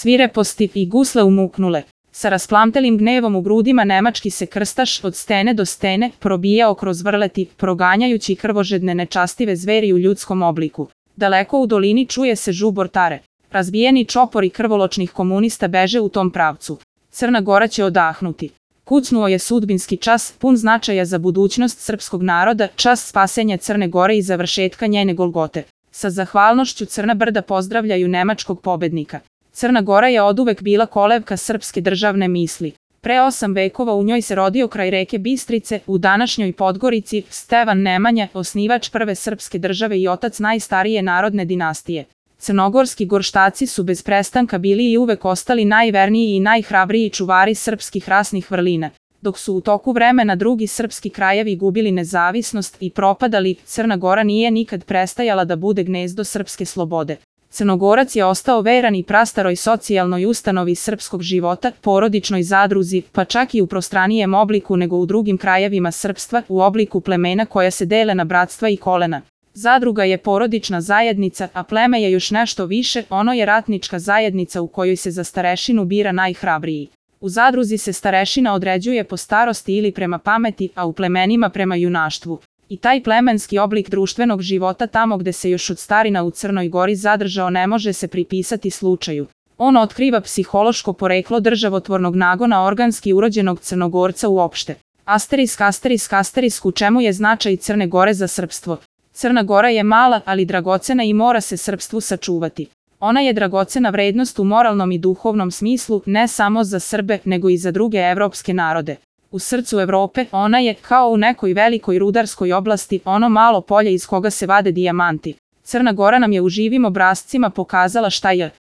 svireposti i gusle umuknule. Sa rasplamtelim gnevom u grudima nemački se krstaš od stene do stene probijao kroz vrleti, proganjajući krvožedne nečastive zveri u ljudskom obliku. Daleko u dolini čuje se žubor tare. Razbijeni čopori krvoločnih komunista beže u tom pravcu. Crna Gora će odahnuti. Kucnuo je sudbinski čas, pun značaja za budućnost srpskog naroda, čas spasenja Crne Gore i završetka njene golgote. Sa zahvalnošću Crna Brda pozdravljaju nemačkog pobednika. Crna Gora je oduvek bila kolevka srpske državne misli. Pre 8 vekova u njoj se rodio kraj reke Bistrice, u današnjoj Podgorici, Stevan Nemanja, osnivač prve srpske države i otac najstarije narodne dinastije. Crnogorski gorštaci su bez prestanka bili i uvek ostali najverniji i najhrabriji čuvari srpskih rasnih vrlina. Dok su u toku vremena drugi srpski krajevi gubili nezavisnost i propadali, Crna Gora nije nikad prestajala da bude gnezdo srpske slobode. Crnogorac je ostao veran i prastaroj socijalnoj ustanovi srpskog života, porodičnoj zadruzi, pa čak i u prostranijem obliku nego u drugim krajevima srpstva, u obliku plemena koja se dele na bratstva i kolena. Zadruga je porodična zajednica, a pleme je još nešto više, ono je ratnička zajednica u kojoj se za starešinu bira najhrabriji. U zadruzi se starešina određuje po starosti ili prema pameti, a u plemenima prema junaštvu. I taj plemenski oblik društvenog života tamo gde se još od starina u Crnoj Gori zadržao ne može se pripisati slučaju. On otkriva psihološko poreklo državotvornog nagona organski urođenog Crnogorca uopšte. Asterisk, u čemu je značaj Crne Gore za srpstvo? Crna Gora je mala, ali dragocena i mora se srpstvu sačuvati. Ona je dragocena vrednost u moralnom i duhovnom smislu, ne samo za Srbe, nego i za druge evropske narode. U srcu Evrope ona je, kao u nekoj velikoj rudarskoj oblasti, ono malo polje iz koga se vade dijamanti. Crna Gora nam je u živim obrascima pokazala šta je.